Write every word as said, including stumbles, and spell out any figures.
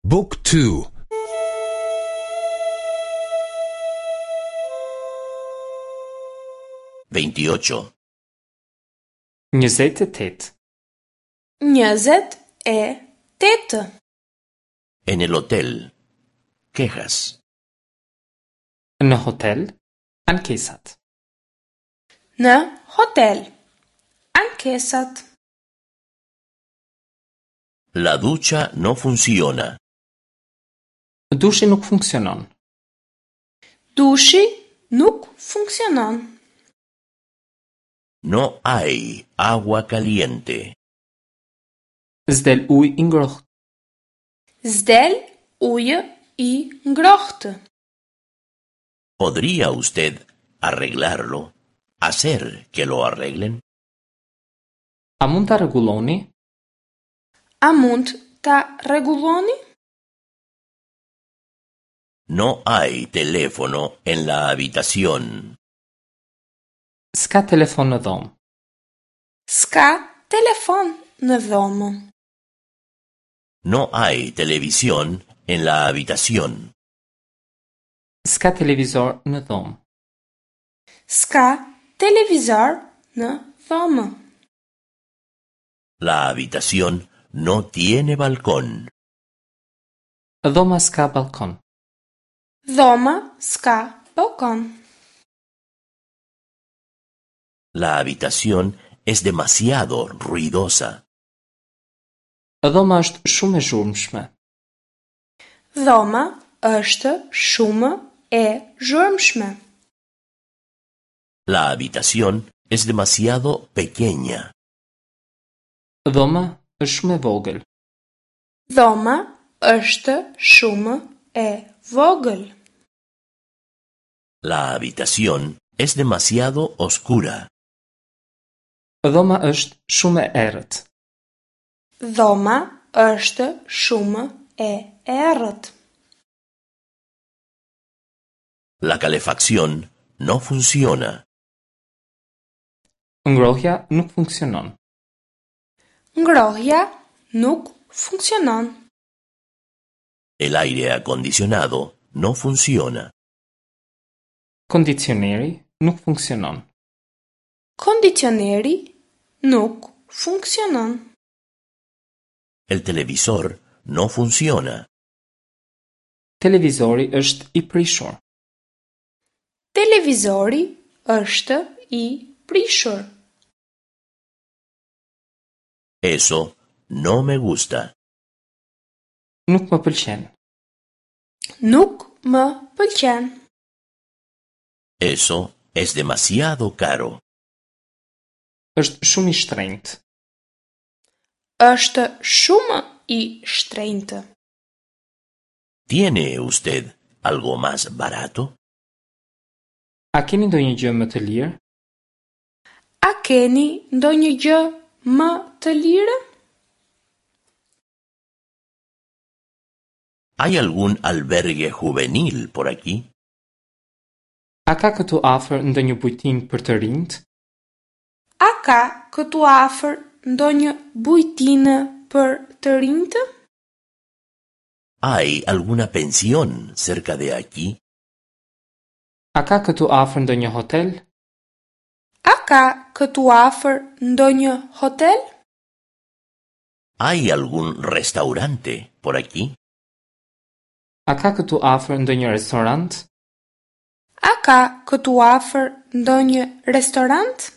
Book two. Veintiocho. Njëzet e tetë. Njëzet e tetë. En el hotel. Quejas. Në hotel, ankesat. Në hotel, ankesat. La ducha no funciona. Dushi nuk funksionon. Dushi nuk funksionon. No hay agua caliente. S'del ujë i ngrohtë. S'del ujë i ngrohtë. ¿Podría usted arreglarlo? ¿Hacer que lo arreglen? A mund ta rregulloni? A mund ta rregulloni? No hay teléfono en la habitación. S'ka telefon në dhomë. S'ka telefon në dhomë. No hay televisión en la habitación. S'ka televizor në dhomë. S'ka televizor në dhomë. La habitación no tiene balcón. Dhoma s'ka balkon. Dhoma s'ka balkon. La habitación es demasiado ruidosa. Dhoma është shumë e zhurmshme. Dhoma është shumë e zhurmshme. La habitación es demasiado pequeña. Dhoma është shumë e vogël. Dhoma është shumë e vogël. La habitación es demasiado oscura. Dhoma është shumë e errët. Dhoma është shumë e errët. La calefacción no funciona. Ngrohja nuk funksionon. Ngrohja nuk funksionon. El aire acondicionado no funciona. Kondicioneri nuk funksionon. Kondicioneri nuk funksionon. El televisor no funciona. Televizori është i prishur. Televizori është i prishur. Eso no me gusta. Nuk më pëlqen. Nuk më pëlqen. Eso es demasiado caro. Është shumë i shtrenjtë. Është shumë i shtrenjtë. ¿Tiene usted algo más barato? A keni ndonjë gjë më të lirë? A keni ndonjë gjë më të lirë? ¿Hay algún albergue juvenil por aquí? A ka këtu afër ndonjë bujtinë për të rinjt? A ka këtu afër ndonjë bujtinë për të rinjtë? ¿Hay alguna pensión cerca de aquí? A ka këtu afër ndonjë hotel? A ka këtu afër ndonjë hotel? ¿Hay algún restaurante por aquí? A ka këtu afër ndonjë restorant? A ka këtu afër ndonjë restorant?